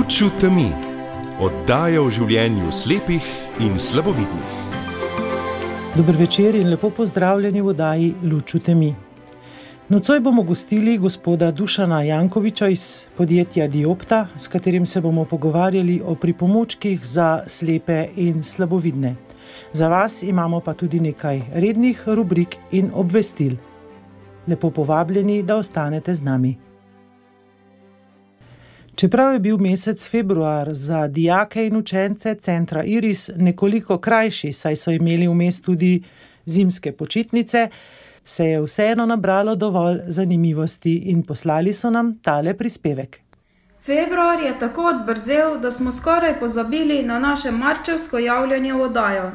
Luč v temi. Oddaja o življenju slepih in slabovidnih. Dober večer in lepo pozdravljeni v oddaji Luč v temi. Nocoj bomo gostili gospoda Dušana Jankoviča iz podjetja Diopta, s katerim se bomo pogovarjali o pripomočkih za slepe in slabovidne. Za vas imamo pa tudi nekaj rednih rubrik in obvestil. Lepo povabljeni, da ostanete z nami. Čeprav je bil mesec februar za dijake in učence centra Iris nekoliko krajši, saj so imeli vmes tudi zimske počitnice, se je vseeno nabralo dovolj zanimivosti in poslali so nam tale prispevek. Februar je tako odbrzel, da smo skoraj pozabili na naše marčevsko javljanje v oddajo.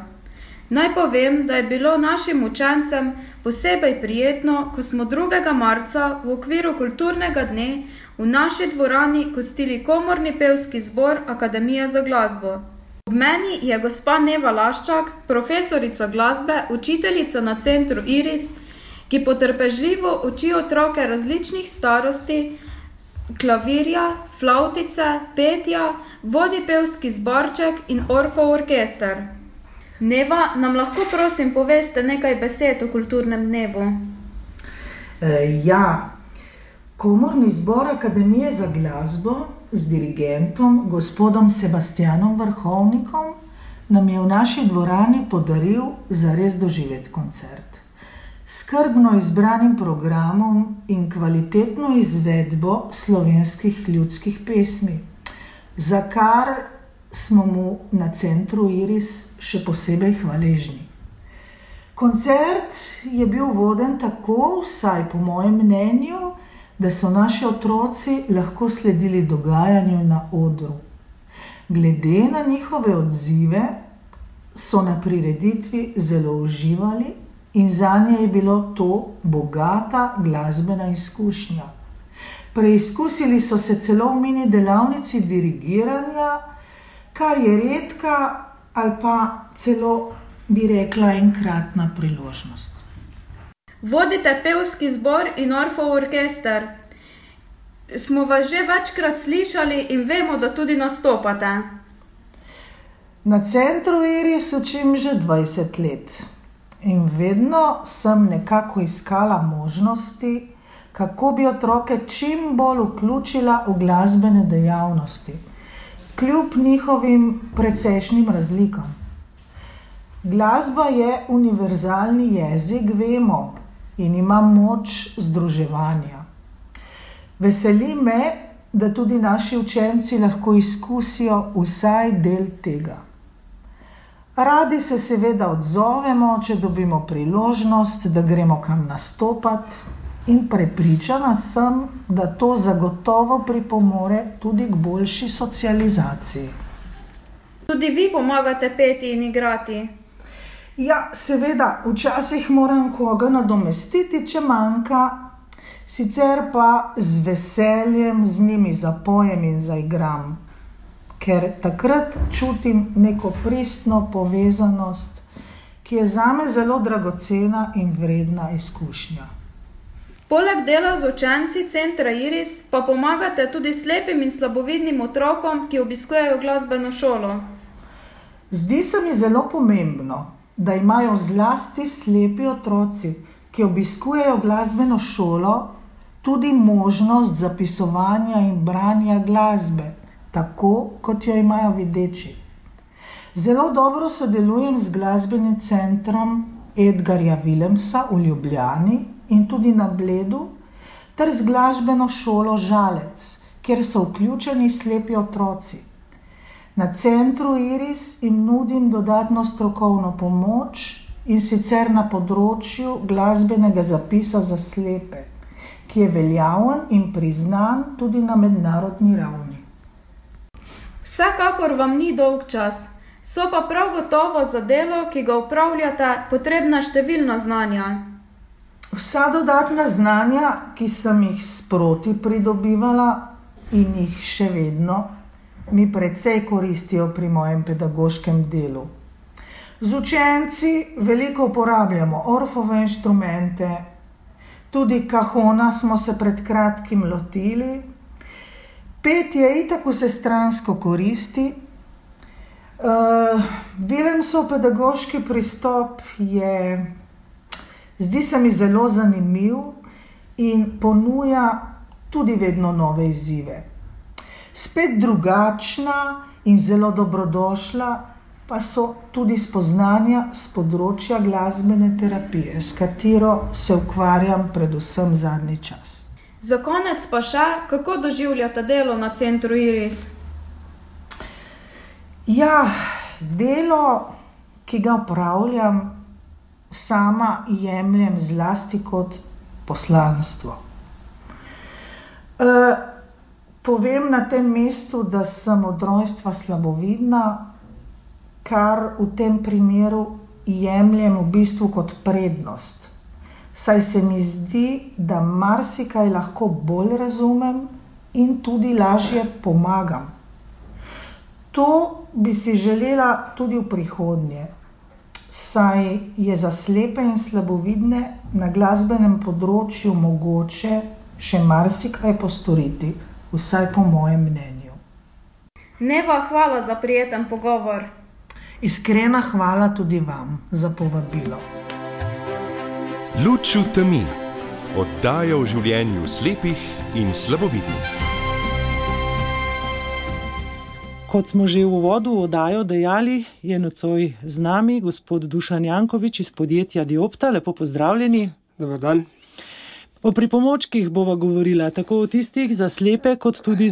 Naj povem, da je bilo našim učencem posebej prijetno, ko smo 2. marca v okviru kulturnega dne v naši dvorani gostili komorni pevski zbor Akademije za glasbo. Ob meni je gospa Neva Laščak, profesorica glasbe, učiteljica na centru Iris, ki potrpežljivo uči otroke različnih starosti, klavirja, flavtice, petja, vodi pevski zborček in Orfov orkester. Neva, nam lahko prosim poveste nekaj besed o kulturnem dnevu? Komorni zbor Akademije za glasbo z dirigentom, gospodom Sebastianom Vrhovnikom, nam je v naši dvorani podaril zares doživet koncert. Skrbno izbranim programom in kvalitetno izvedbo slovenskih ljudskih pesmi, za kar smo mu na centru Iris še posebej hvaležni. Koncert je bil voden tako, vsaj po mojem mnenju, da so naši otroci lahko sledili dogajanju na odru. Glede na njihove odzive so na prireditvi zelo uživali in zanje je bilo to bogata glasbena izkušnja. Preizkusili so se celo v mini delavnici dirigiranja, kar je redka ali pa celo, bi rekla, enkratna priložnost. Vodite pevski zbor in Orfov orkester. Smo vas že večkrat slišali in vemo, da tudi nastopate. Na centru Iris učim že 20 let in vedno sem nekako iskala možnosti, kako bi otroke čim bolj vključila v glasbene dejavnosti, kljub njihovim precejšnjim razlikam. Glasba je univerzalni jezik, vemo, in ima moč združevanja. Veseli me, da tudi naši učenci lahko izkusijo vsaj del tega. Radi se seveda odzovemo, če dobimo priložnost, da gremo kam nastopati, in prepričana sem, da to zagotovo pripomore tudi k boljši socializaciji. Tudi vi pomagate peti in igrati? Ja, seveda, včasih moram koga nadomestiti, če manjka, sicer pa z veseljem z njimi zapojem in zaigram, ker takrat čutim neko pristno povezanost, ki je zame zelo dragocena in vredna izkušnja. Poleg dela z učenci centra Iris pa pomagate tudi slepim in slabovidnim otrokom, ki obiskujejo glasbeno šolo. Zdi se mi zelo pomembno, da imajo zlasti slepi otroci, ki obiskujejo glasbeno šolo, tudi možnost zapisovanja in branja glasbe, tako kot jo imajo videči. Zelo dobro sodelujem z glasbenim centrom Edgarja Vilemsa v Ljubljani in tudi na Bledu, ter z glasbeno šolo Žalec, kjer so vključeni slepi otroci. Na centru Iris jim nudim dodatno strokovno pomoč, in sicer na področju glasbenega zapisa za slepe, ki je veljaven in priznan tudi na mednarodni ravni. Vsekakor vam ni dolg čas, so pa prav gotovo za delo, ki ga opravljate, potrebna številna znanja. Vsa dodatna znanja, ki sem jih sproti pridobivala in jih še vedno, mi precej koristijo pri mojem pedagoškem delu. Z učenci veliko uporabljamo Orfove inštrumente, tudi kahona smo se pred kratkim lotili Petje itak vsestransko koristi. Willemsov pedagoški pristop zdi se mi zelo zanimiv in ponuja tudi vedno nove izzive. Spet drugačna in zelo dobrodošla pa so tudi spoznanja z področja glasbene terapije, s katero se ukvarjam predvsem zadnji čas. Za konec pa še, kako doživljate delo na centru Iris? Ja, delo, ki ga opravljam, sama jemljem zlasti kot poslanstvo. Povem na tem mestu, da sem od rojstva slabovidna, kar v tem primeru jemljem v bistvu kot prednost. Saj se mi zdi, da marsikaj lahko bolj razumem in tudi lažje pomagam. To bi si želela tudi v prihodnje, saj je za slepe in slabovidne na glasbenem področju mogoče še marsikaj postoriti, vsaj po mojem mnenju. Neva, hvala za prijeten pogovor. Iskrena hvala tudi vam za povabilo. Luč v temi. Oddaja o življenju slepih in slabovidnih. Kot smo že v uvodu oddajo dejali, je nocoj z nami gospod Dušan Jankovič iz podjetja Diopta. Lepo pozdravljeni. Dobar dan. O pripomočkih bova govorila, tako o tistih za slepe, kot tudi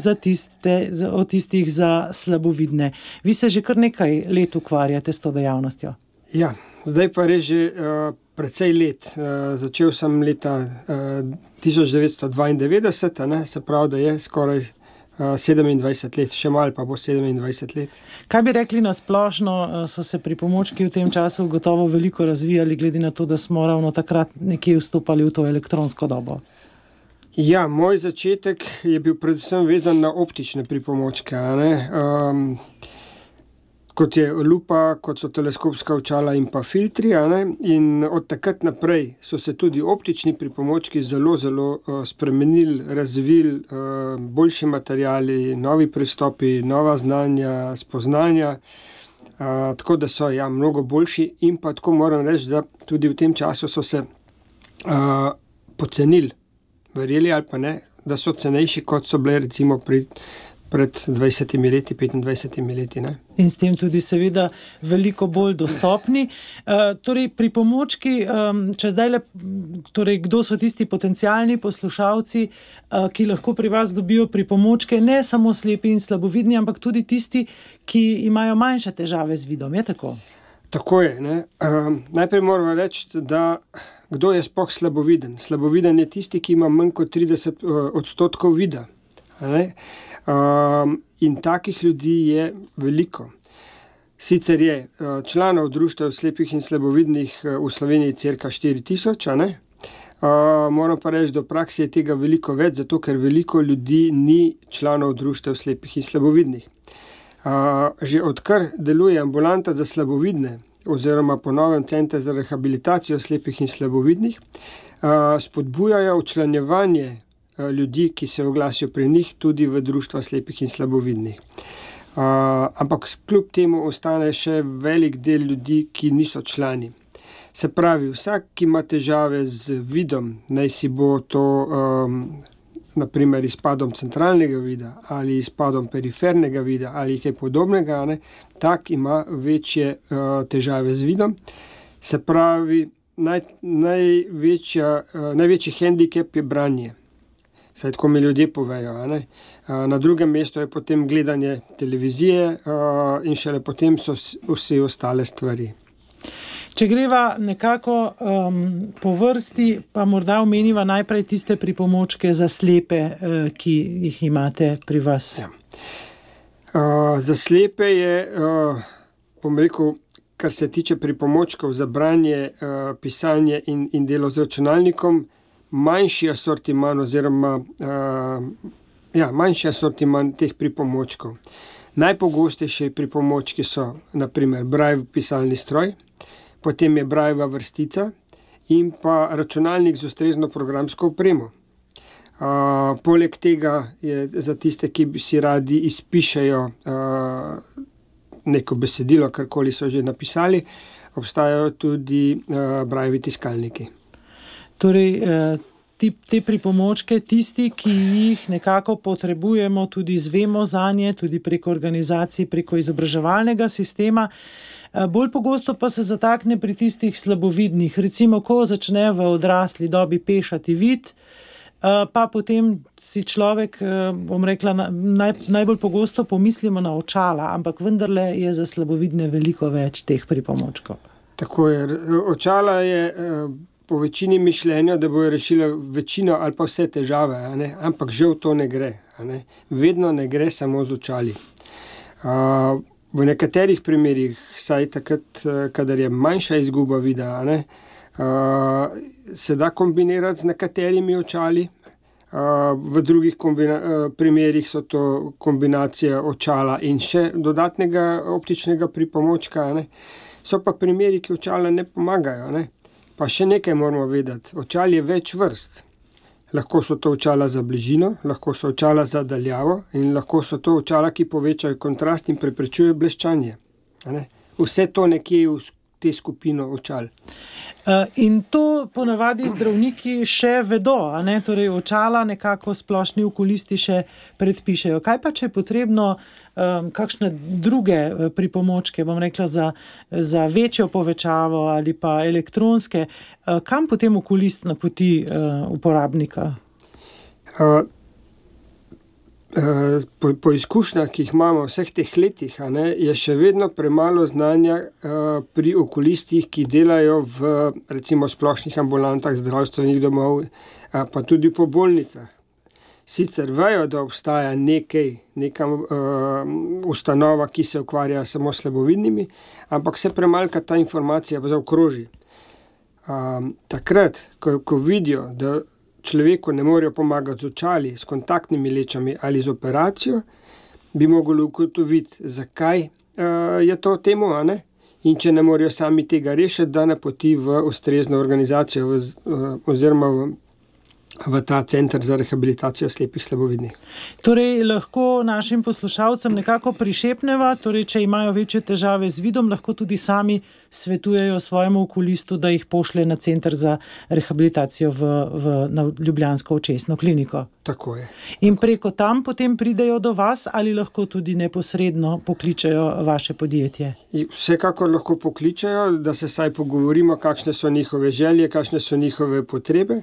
o tistih za slabovidne. Vi se že kar nekaj let ukvarjate s to dejavnostjo. Ja, zdaj pa res že precej let. Začel sem leta 1992, se pravi, da je skoraj 27 let, še malo pa bo 27 let. Kaj bi rekli na splošno, so se pripomočki v tem času gotovo veliko razvijali, glede na to, da smo ravno takrat nekje vstopali v to elektronsko dobo? Ja, moj začetek je bil predvsem vezan na optične pripomočke, kot je lupa, kot so teleskopska očala in pa filtri, in od takrat naprej so se tudi optični pripomočki zelo spremenili, razvili, boljši materiali, novi pristopi, nova znanja, spoznanja, tako da so mnogo boljši in pa tako moram reči, da tudi v tem času so se pocenili, verjeli ali pa ne, da so cenejši, kot so bile recimo pred 20 leti, 25 leti. Ne? In s tem tudi seveda veliko bolj dostopni. Torej, pripomočki, če zdaj kdo so tisti potencialni poslušalci, ki lahko pri vas dobijo pripomočke, ne samo slepi in slabovidni, ampak tudi tisti, ki imajo manjše težave z vidom, je tako? Tako je. Ne? Najprej moramo reči, da kdo je sploh slaboviden? Slaboviden je tisti, ki ima manj kot 30% vida. Ne? In takih ljudi je veliko. Sicer je članov društev slepih in slabovidnih v Sloveniji cirka 4000, moram pa reči, da v praksi je tega veliko več, zato ker veliko ljudi ni članov društev slepih in slabovidnih. Že odkar deluje ambulanta za slabovidne oziroma po novem center za rehabilitacijo slepih in slabovidnih, spodbujajo včlanjevanje ljudi, ki se oglasijo pri njih, tudi v društva slepih in slabovidnih. Ampak kljub temu ostane še velik del ljudi, ki niso člani. Se pravi, vsak, ki ima težave z vidom, naj si bo to naprimer izpadom centralnega vida ali izpadom perifernega vida ali kaj podobnega, tak ima večje težave z vidom. Se pravi, največji hendikep je branje. Saj tako mi ljudje povejo. Na drugem mestu je potem gledanje televizije in šele potem so vse ostale stvari. Če greva nekako po vrsti, pa morda omeniva najprej tiste pripomočke za slepe, ki jih imate pri vas. Ja. Za slepe je, kar se tiče pripomočkov za branje, pisanje in delo z računalnikom, manjši asortiman teh pripomočkov. Najpogostejši pripomočki so naprimer Braille pisalni stroj, potem je Brailleva vrstica in pa računalnik z ustrezno programsko opremo. Poleg tega je za tiste, ki si radi izpišejo neko besedilo, karkoli so že napisali, obstajajo tudi Braillevi tiskalniki. Torej, te pripomočke, tisti, ki jih nekako potrebujemo, tudi izvemo zanje, tudi preko organizacij, preko izobraževalnega sistema. Bolj pogosto pa se zatakne pri tistih slabovidnih. Recimo, ko začne v odrasli dobi pešati vid, pa potem si človek, bom rekla, najbolj pogosto pomislimo na očala, ampak vendarle je za slabovidne veliko več teh pripomočkov. Tako je. Očala je po večini mišljenja, da bojo rešile večino ali pa vse težave, ampak žal to ne gre. Vedno ne gre samo z očali. V nekaterih primerih, saj takrat, kadar je manjša izguba vida, se da kombinirati z nekaterimi očali. V drugih primerih so to kombinacija očala in še dodatnega optičnega pripomočka. So pa primeri, ki očala ne pomagajo. Pa še nekaj moramo vedeti. Očal je več vrst. Lahko so to očala za bližino, lahko so očala za daljavo in lahko so to očala, ki povečajo kontrast in preprečujejo bleščanje. Vse to nekje v te skupino očal. In to ponavadi zdravniki še vedo, Torej očala nekako splošni okulisti še predpišejo. Kaj pa, če je potrebno kakšne druge pripomočke, bom rekla, za večjo povečavo ali pa elektronske, kam potem okulist napoti uporabnika? Po izkušnjah, ki jih imamo vseh teh letih, je še vedno premalo znanja pri okulistih, ki delajo v recimo splošnih ambulantah zdravstvenih domov, pa tudi po bolnicah. Sicer vejo, da obstaja neka ustanova, ki se ukvarja samo s slabovidnimi, ampak se premalka ta informacija zaokroži. Takrat, ko vidijo, da človeku ne morejo pomagati z očali, s kontaktnimi lečami ali z operacijo, bi mogli ugotoviti, zakaj je to temu, in če ne morejo sami tega rešiti, da napoti v ustrezno organizacijo oziroma v ta center za rehabilitacijo slepih slabovidnih. Torej, lahko našim poslušalcem nekako prišepneva, torej, če imajo večje težave z vidom, lahko tudi sami svetujejo svojemu okulistu, da jih pošlje na center za rehabilitacijo na ljubljansko očesno kliniko. Tako je. In preko tam potem pridejo do vas ali lahko tudi neposredno pokličejo vaše podjetje? Vsekakor lahko pokličejo, da se saj pogovorimo, kakšne so njihove želje, kakšne so njihove potrebe.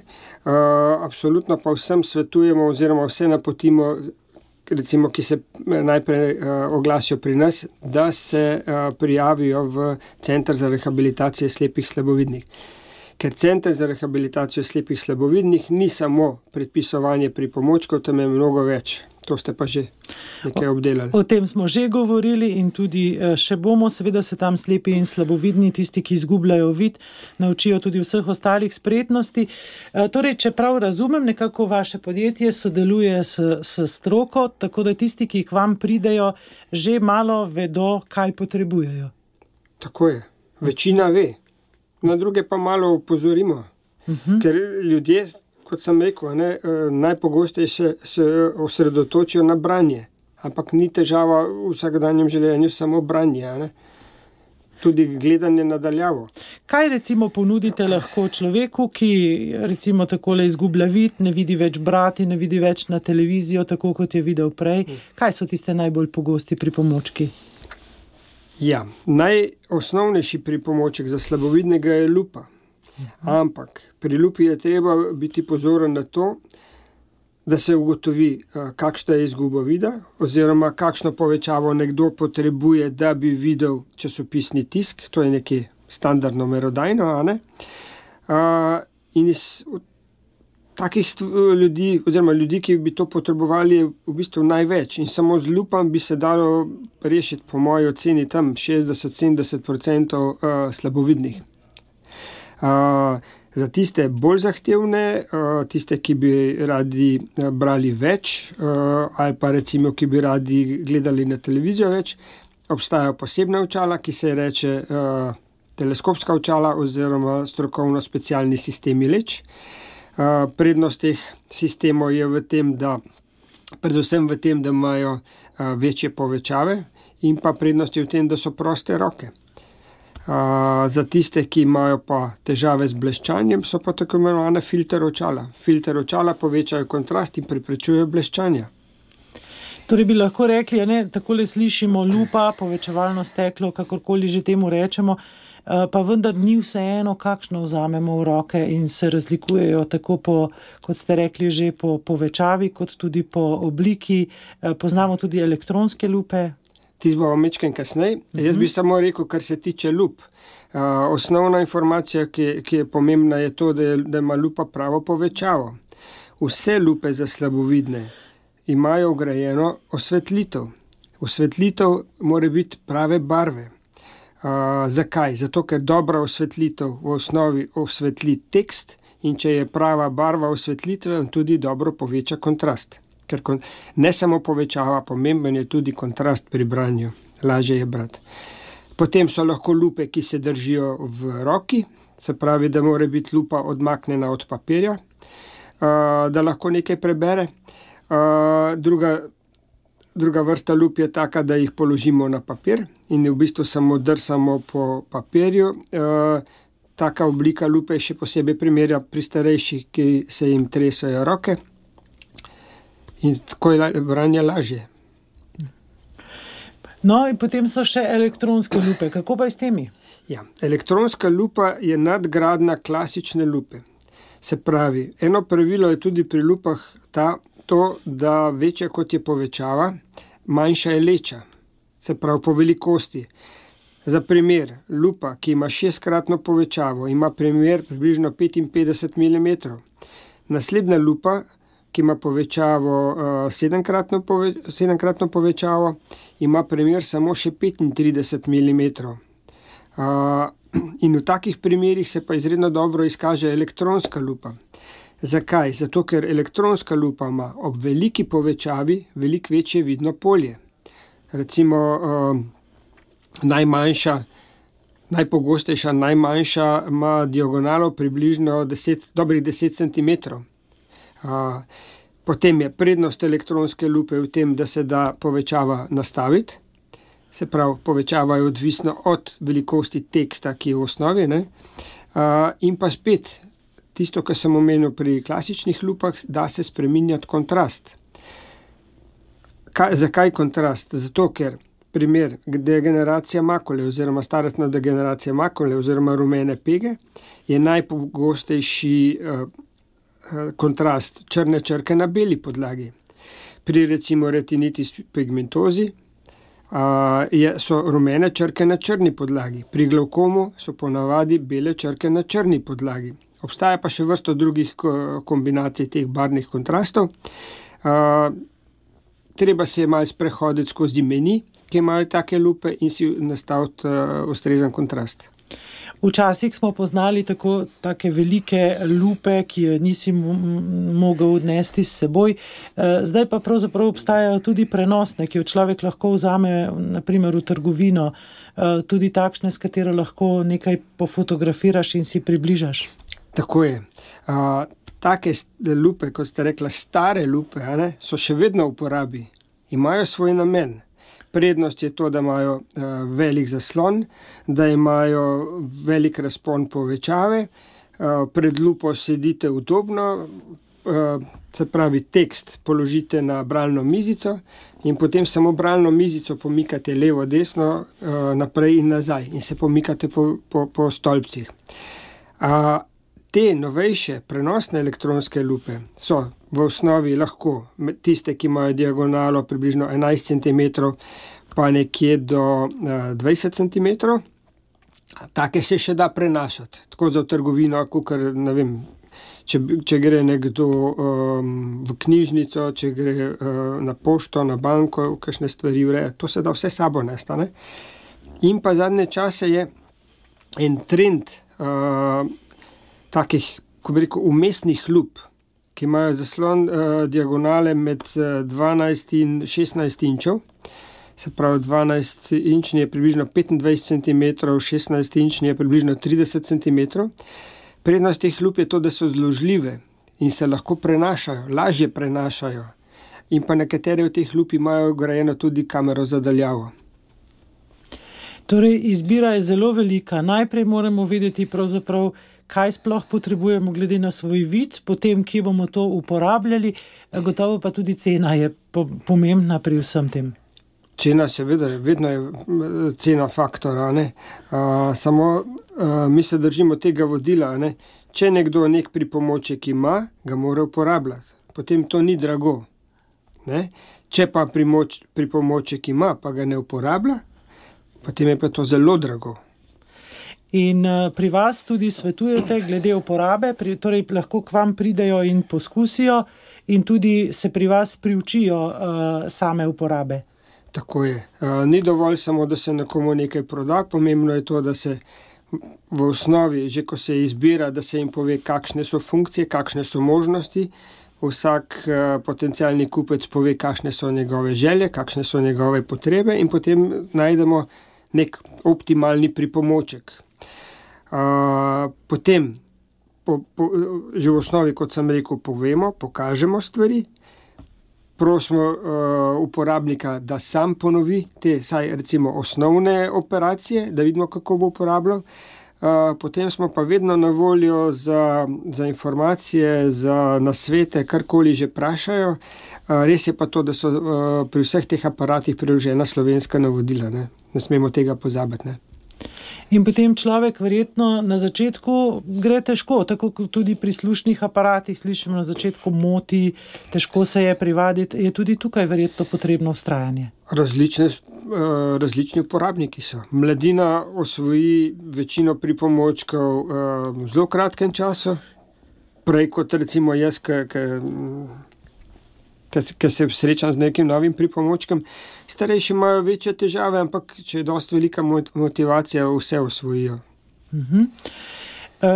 Absolutno pa vsem svetujemo oziroma vse napotimo, recimo, ki se najprej oglasijo pri nas, da se prijavijo v Center za rehabilitacijo slepih slabovidnih. Ker Center za rehabilitacijo slepih slabovidnih ni samo predpisovanje pripomočkov, tam je mnogo več. To ste pa že nekaj obdelali. O tem smo že govorili in tudi še bomo, seveda se tam slepi in slabovidni, tisti, ki izgubljajo vid, naučijo tudi vseh ostalih spretnosti. Torej, če prav razumem, nekako vaše podjetje sodeluje s stroko, tako da tisti, ki k vam pridejo, že malo vedo, kaj potrebujejo. Tako je. Večina ve. Na druge pa malo opozorimo. Ker ljudje, kot sem rekel, najpogosteje se osredotočijo na branje, ampak ni težava v vsakdanjem življenju samo branje, tudi gledanje nadaljavo. Kaj recimo ponudite lahko človeku, ki recimo takole izgublja vid, ne vidi več brati, ne vidi več na televizijo, tako kot je videl prej? Kaj so tiste najbolj pogosti pripomočki? Ja, najosnovnejši pripomoček za slabovidnega je lupa. Ampak pri lupi je treba biti pozoren na to, da se ugotovi, kakšna je izguba vida oziroma kakšno povečavo nekdo potrebuje, da bi videl časopisni tisk, to je nekaj standardno merodajno, in iz takih ljudi, oziroma ljudi, ki bi to potrebovali, je v bistvu največ. In samo z lupom bi se dalo rešiti, po moji oceni, tam 60-70% slabovidnih. Za tiste bolj zahtevne, tiste, ki bi radi brali več, ali pa recimo, ki bi radi gledali na televizijo več, obstajajo posebna očala, ki se reče teleskopska očala oziroma strokovno specialni sistemi leč. Prednost teh sistemov je predvsem v tem, da imajo večje povečave, in pa prednost je v tem, da so proste roke. Za tiste, ki imajo pa težave z bleščanjem, so pa tako imenovane filter očala. Filter očala povečajo kontrast in preprečujejo bleščanja. Torej bi lahko rekli, takole slišimo lupa, povečevalno steklo, kakorkoli že temu rečemo, pa vendar ni vseeno, kakšno vzamemo v roke in se razlikujejo tako kot ste rekli, že po povečavi, kot tudi po obliki. Poznamo tudi elektronske lupe. Ti bomo mečken kasneje. Jaz bi samo rekel, kar se tiče lup. Osnovna informacija, ki je pomembna, je to, da ima lupa pravo povečavo. Vse lupe za slabovidne imajo vgrajeno osvetlitev. Osvetlitev mora biti prave barve. Zakaj? Zato, ker dobra osvetlitev v osnovi osvetli tekst, in če je prava barva osvetlitve, tudi dobro poveča kontrast. Ker ne samo povečava, pomemben je tudi kontrast pri branju. Lažje je brati. Potem so lahko lupe, ki se držijo v roki, se pravi, da mora biti lupa odmaknjena od papirja, da lahko nekaj prebere. Druga vrsta lup je taka, da jih položimo na papir in v bistvu samo drsamo po papirju. Taka oblika lupe je še posebej primerja pri starejših, ki se jim tresajo roke. In tako je branje lažje. No, in potem so še elektronske lupe. Kako pa je s temi? Ja, elektronska lupa je nadgradnja klasične lupe. Se pravi, eno pravilo je tudi pri lupah to, da večja kot je povečava, manjša je leča. Se pravi, po velikosti. Za primer, lupa, ki ima 6-kratno povečavo, ima premer približno 55 mm. Naslednja lupa, ki ima povečavo 7-kratno povečavo, ima premer samo še 35 mm. In v takih primerih se pa izredno dobro izkaže elektronska lupa. Zakaj? Zato, ker elektronska lupa ima ob veliki povečavi veliko večje vidno polje. Recimo najpogostejša, najmanjša ima diagonalo približno dobrih 10 cm. Potem je prednost elektronske lupe v tem, da se da povečava nastaviti. Se pravi, povečava je odvisno od velikosti teksta, ki je v osnovi. In pa spet, tisto, kar sem omenil pri klasičnih lupah, da se spreminjati kontrast. Zakaj kontrast? Zato, ker primer degeneracija makule oziroma starostna degeneracija makule oziroma rumene pege je najpogostejši kontrast črne črke na beli podlagi. Pri recimo retinitis pigmentozi so rumene črke na črni podlagi. Pri glavkomu so ponavadi bele črke na črni podlagi. Obstaja pa še vrsto drugih kombinacij teh barvnih kontrastov. Treba se malo sprehoditi skozi meni, ki imajo take lupe, in si nastaviti ustrezen kontrast. Včasih smo poznali take velike lupe, ki jo nisi mogel odnesti s seboj. Zdaj pa pravzaprav obstajajo tudi prenosne, ki jo človek lahko vzame na primer v trgovino, tudi takšne, s katero lahko nekaj pofotografiraš in si približaš. Tako je. Take lupe, kot ste rekla, stare lupe, so še vedno v uporabi. Imajo svoj namen. Prednost je to, da imajo velik zaslon, da imajo velik razpon povečave, pred lupo sedite udobno, se pravi, tekst položite na bralno mizico in potem samo bralno mizico pomikate levo, desno, naprej in nazaj in se pomikate po stolpcih. Te novejše prenosne elektronske lupe so v osnovi lahko tiste, ki imajo diagonalo približno 11 cm, pa nekje do 20 cm. Take se še da prenašati, tako za v trgovino, kakor, ne vem, če gre nekdo v knjižnico, če gre na pošto, na banko, kakšne stvari ureja, to se da vse sabo nestane. In pa zadnje čase je en trend takih, ko bi rekel, umestnih lup, ki imajo zaslon diagonale med 12 in 16 inčev. Se pravi, 12-inčni je približno 25 cm, 16-inčni je približno 30 cm. Prednost teh lup je to, da so zložljive in se lahko prenašajo, lažje prenašajo. In pa nekatere od teh lup imajo vgrajeno tudi kamero za daljavo. Torej, izbira je zelo velika. Najprej moramo vedeti pravzaprav, kaj sploh potrebujemo glede na svoj vid, potem, kje bomo to uporabljali, gotovo pa tudi cena je pomembna pri vsem tem. Cena seveda, vedno je cena faktora, ne? Samo mi se držimo tega vodila, ne? Če nekdo nek pripomoček ima, ga mora uporabljati. Potem to ni drago. Ne? Če pa pripomoček ima, pa ga ne uporablja, potem je pa to zelo drago. In pri vas tudi svetujete glede uporabe, torej lahko k vam pridejo in poskusijo in tudi se pri vas priučijo same uporabe. Tako je. Ni dovolj samo, da se nekomu nekaj proda, pomembno je to, da se v osnovi, že ko se izbira, da se jim pove, kakšne so funkcije, kakšne so možnosti. Vsak potencialni kupec pove, kakšne so njegove želje, kakšne so njegove potrebe in potem najdemo nek optimalni pripomoček. Potem, že v osnovi, kot sem rekel, povemo, pokažemo stvari, prosimo uporabnika, da sam ponovi te, saj recimo osnovne operacije, da vidimo, kako bo uporabljal. Potem smo pa vedno na voljo za informacije, za nasvete, karkoli že vprašajo. Res je pa to, da so pri vseh teh aparatih priložena slovenska navodila. Ne smemo tega pozabiti. Ne? In potem človek verjetno na začetku gre težko, tako kot tudi pri slušnih aparatih, slišimo na začetku moti, težko se je privaditi, je tudi tukaj verjetno potrebno vztrajanje. Različni uporabniki so. Mladina osvoji večino pripomočkov v zelo kratkem času, prej kot recimo jaz, ki se srečam z nekim novim pripomočkom. Starejši imajo večje težave, ampak če je dosti velika motivacija, vse osvojijo.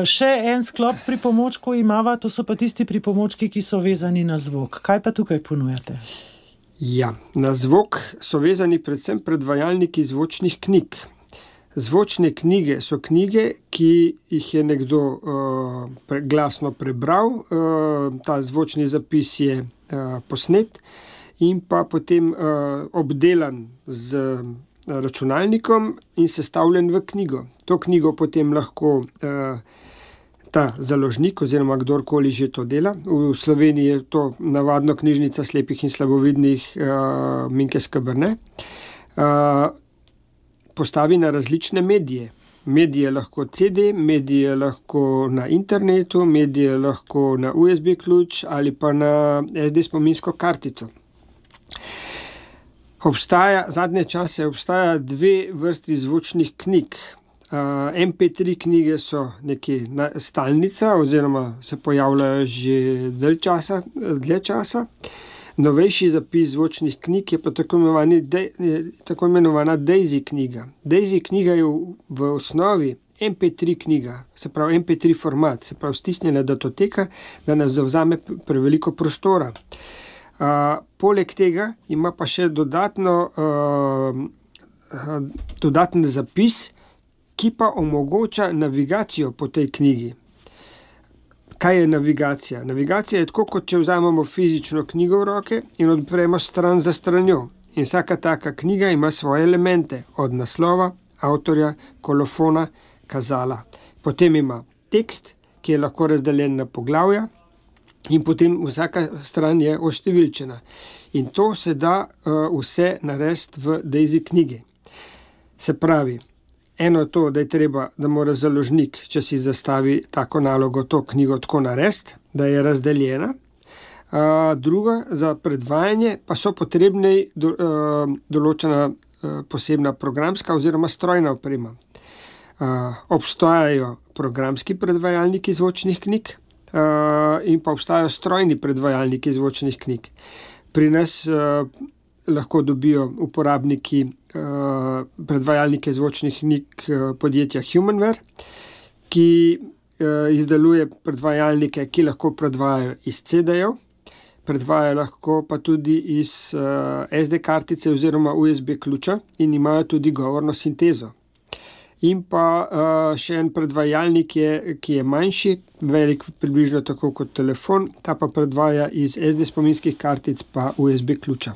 Še en sklop pripomočkov imava, to so pa tisti pripomočki, ki so vezani na zvok. Kaj pa tukaj ponujate? Ja, na zvok so vezani predvsem predvajalniki zvočnih knjig. Zvočne knjige so knjige, ki jih je nekdo glasno prebral, ta zvočni zapis je posnet in pa potem obdelan z računalnikom in sestavljen v knjigo. To knjigo potem lahko ta založnik oziroma kdorkoli že to dela. V Sloveniji je to navadno knjižnica slepih in slabovidnih Minke Skrberne. Postavi na različne medije. Medije lahko CD, medije lahko na internetu, medije lahko na USB ključ ali pa na SD spominsko kartico. Zadnje čase obstaja dve vrsti zvočnih knjig. MP3 knjige so nekje stalnica oziroma se pojavljajo že dlje časa. Novejši zapis zvočnih knjig je pa tako imenovana Daisy knjiga. Daisy knjiga je v osnovi MP3 knjiga, se pravi MP3 format, se pravi stisnjena datoteka, da ne zavzame preveliko prostora. Poleg tega ima pa še dodaten zapis, ki pa omogoča navigacijo po tej knjigi. Kaj je navigacija? Navigacija je tako, kot če vzamemo fizično knjigo v roke in odpremo stran za stranjo. In vsaka taka knjiga ima svoje elemente, od naslova, avtorja, kolofona, kazala. Potem ima tekst, ki je lahko razdeljen na poglavja in potem vsaka stran je oštevilčena. In to se da vse narediti v Daisy knjigi. Se pravi, eno je to, da je treba, da mora založnik, če si zastavi tako nalogo, to knjigo tako narediti, da je razdeljena. Druga, za predvajanje pa so potrebne določena posebna programska oziroma strojna oprema. Obstajajo programski predvajalniki zvočnih knjig in pa obstajajo strojni predvajalniki zvočnih knjig. Pri nas lahko dobijo uporabniki predvajalnike zvočnih knjig podjetja Humanware, ki izdeluje predvajalnike, ki lahko predvajajo iz CD-jev, predvajajo lahko pa tudi iz SD kartice oziroma USB ključa in imajo tudi govorno sintezo. in pa še en predvajalnik, ki je manjši, velik približno tako kot telefon, ta pa predvaja iz SD spominskih kartic pa USB ključa.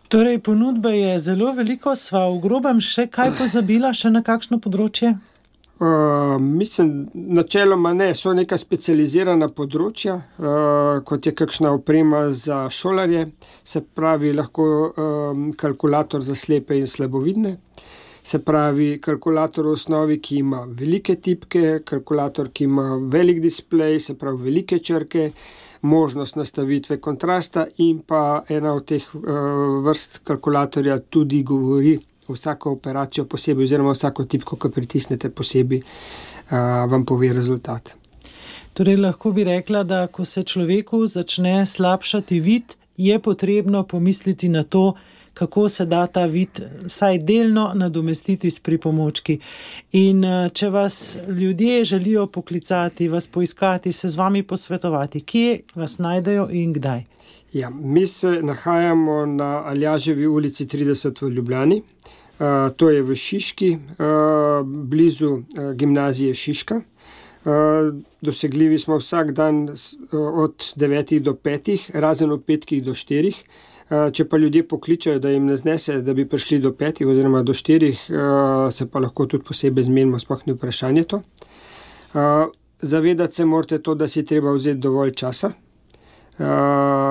Torej, ponudbe je zelo veliko, sva v grobem še kaj pozabila, še na kakšno področje? Mislim, načeloma ne, so neka specializirana področja, kot je kakšna oprema za šolarje, se pravi lahko kalkulator za slepe in slabovidne, se pravi kalkulator v osnovi, ki ima velike tipke, kalkulator, ki ima velik displej, se pravi velike črke, možnost nastavitve kontrasta in pa ena od teh vrst kalkulatorja tudi govori vsako operacijo posebej oziroma vsako tipko, ko pritisnete posebej, vam pove rezultat. Torej, lahko bi rekla, da ko se človeku začne slabšati vid, je potrebno pomisliti na to, kako se da ta vid vsaj delno nadomestiti s pripomočki. In če vas ljudje želijo poklicati, vas poiskati, se z vami posvetovati, kje vas najdejo in kdaj? Ja, mi se nahajamo na Aljaževi ulici 30 v Ljubljani. To je v Šiški, blizu gimnazije Šiška. Dosegljivi smo vsak dan od 9 do 5, razen od 5 do 4. Če pa ljudje pokličajo, da jim ne znese, da bi prišli do 5 oziroma do 4, se pa lahko tudi posebej zmenimo, sploh ni vprašanje to. Zavedati se morate to, da si treba vzeti dovolj časa.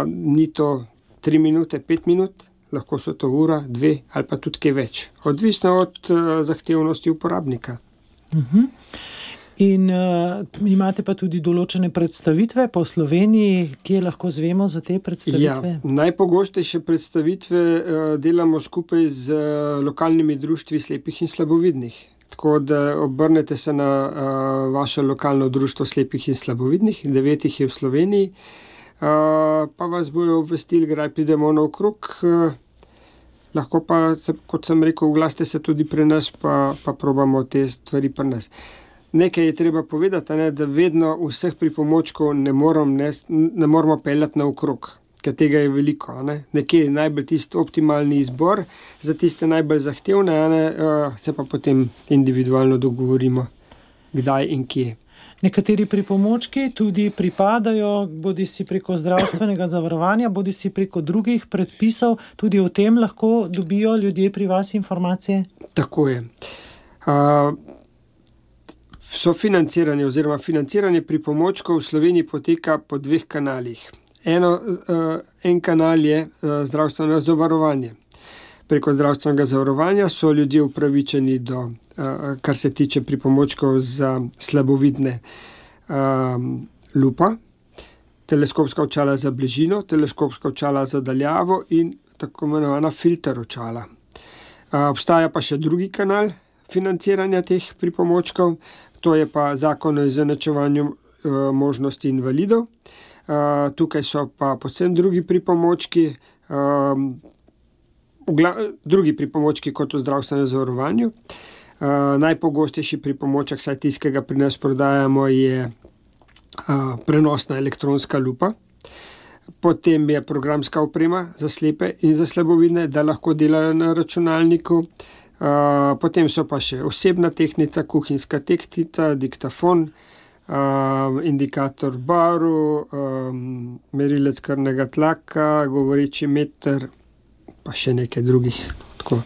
Ni to 3 minute, 5 minut, lahko so to ura, 2 ali pa tudi kaj več. Odvisno od zahtevnosti uporabnika. In imate pa tudi določene predstavitve po Sloveniji, kje lahko zvemo za te predstavitve? Ja, najpogostejše predstavitve delamo skupaj z lokalnimi društvi slepih in slabovidnih. Tako da obrnete se na vaše lokalno društvo slepih in slabovidnih, 9 je v Sloveniji, pa vas bojo obvestili, kdaj pridemo naokrog. Lahko pa, kot sem rekel, oglasite se tudi pri nas, pa probamo te stvari pri nas. Nekaj je treba povedati, da vedno vseh pripomočkov ne moramo peljati naokrog, ker tega je veliko. Nekje je najbolj tisti optimalni izbor, za tiste najbolj zahtevne, se pa potem individualno dogovorimo, kdaj in kje. Nekateri pripomočki tudi pripadajo bodisi preko zdravstvenega zavarovanja, bodisi preko drugih predpisov. Tudi o tem lahko dobijo ljudje pri vas informacije? Tako je. Sofinanciranje oziroma financiranje pripomočkov v Sloveniji poteka po 2 kanalih. En kanal je zdravstveno zavarovanje. Preko zdravstvenega zavarovanja so ljudje upravičeni do, kar se tiče pripomočkov za slabovidne, lupa, teleskopska očala za bližino, teleskopska očala za daljavo in tako imenovana filter očala. Obstaja pa še drugi kanal financiranja teh pripomočkov, to je pa Zakon o izenačevanju možnosti invalidov. Tukaj so pa povsem drugi pripomočki, drugi pripomočki kot v zdravstvenem zavarovanju. Najpogostejši pripomoček, saj tistega pri nas prodajamo, je prenosna elektronska lupa. Potem je programska oprema za slepe in za slabovidne, da lahko delajo na računalniku. Potem so pa še osebna tehnika, kuhinjska tehnika, diktafon, indikator barv, merilec krvnega tlaka, govoreči meter, pa še nekaj drugih. Tako.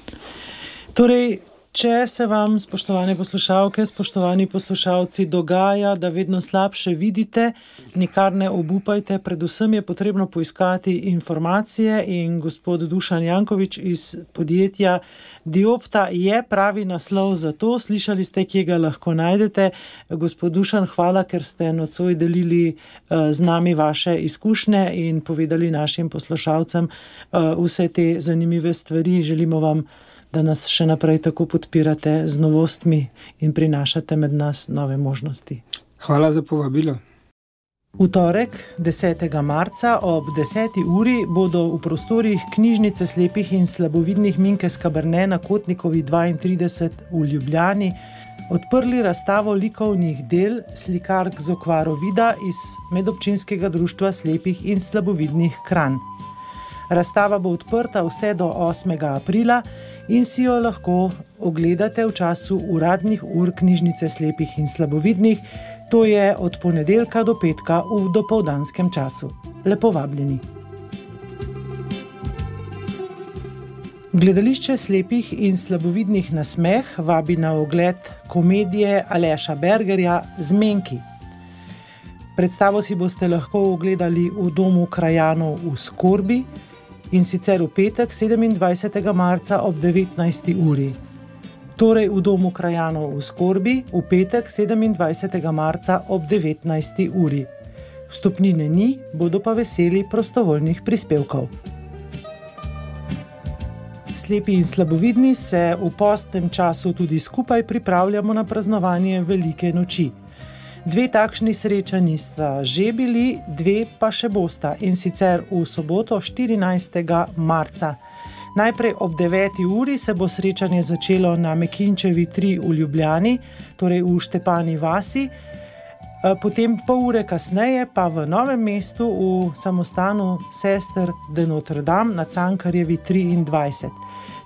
Torej, če se vam, spoštovane poslušalke, spoštovani poslušalci, dogaja, da vedno slabše vidite, nikar ne obupajte, predvsem je potrebno poiskati informacije in gospod Dušan Jankovič iz podjetja Diopta je pravi naslov za to. Slišali ste, kje ga lahko najdete. Gospod Dušan, hvala, ker ste nocoj delili z nami vaše izkušnje in povedali našim poslušalcem vse te zanimive stvari. Želimo vam, da nas še naprej tako podpirate z novostmi in prinašate med nas nove možnosti. Hvala za povabilo. V torek, 10. marca ob 10. uri bodo v prostorih knjižnice slepih in slabovidnih Minke Skaberne na Kotnikovi 32 v Ljubljani odprli razstavo likovnih del slikark z okvaro vida iz Medobčinskega društva slepih in slabovidnih Kranj. Razstava bo odprta vse do 8. aprila in si jo lahko ogledate v času uradnih ur Knjižnice slepih in slabovidnih, to je od ponedeljka do petka v dopoldanskem času. Lepo vabljeni. Gledališče slepih in slabovidnih na smeh vabi na ogled komedije Aleša Bergerja Zmenki. Predstavo si boste lahko ogledali v Domu krajanov v Skorbi in sicer v petek 27. marca ob 19. uri. Torej v Domu krajanov v Skorbi v petek 27. marca ob 19. uri. Vstopnine ni, bodo pa veseli prostovoljnih prispevkov. Slepi in slabovidni se v postnem času tudi skupaj pripravljamo na praznovanje Velike noči. 2 takšni srečanji sta že bili, 2 pa še bosta, in sicer v soboto 14. marca. Najprej ob 9. uri se bo srečanje začelo na Mekinčevi 3 v Ljubljani, torej v Štepani vasi, potem pol ure kasneje pa v Novem mestu v samostanu Sester de Notre Dame na Cankarjevi 23.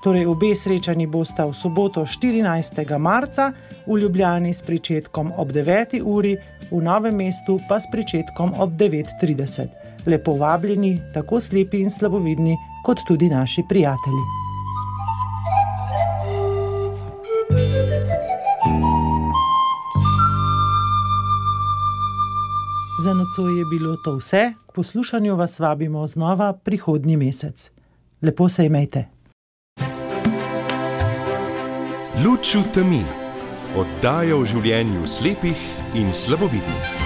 Torej obe srečanji bosta v soboto 14. marca v Ljubljani s pričetkom ob 9. uri, v Novem mestu pa s pričetkom ob 9:30. Lepo vabljeni, tako slepi in slabovidni, kot tudi naši prijatelji. Za nocoj je bilo to vse, k poslušanju vas vabimo znova prihodnji mesec. Lepo se imejte. Luč v temi. Oddaja o življenju slepih in slabovidnih.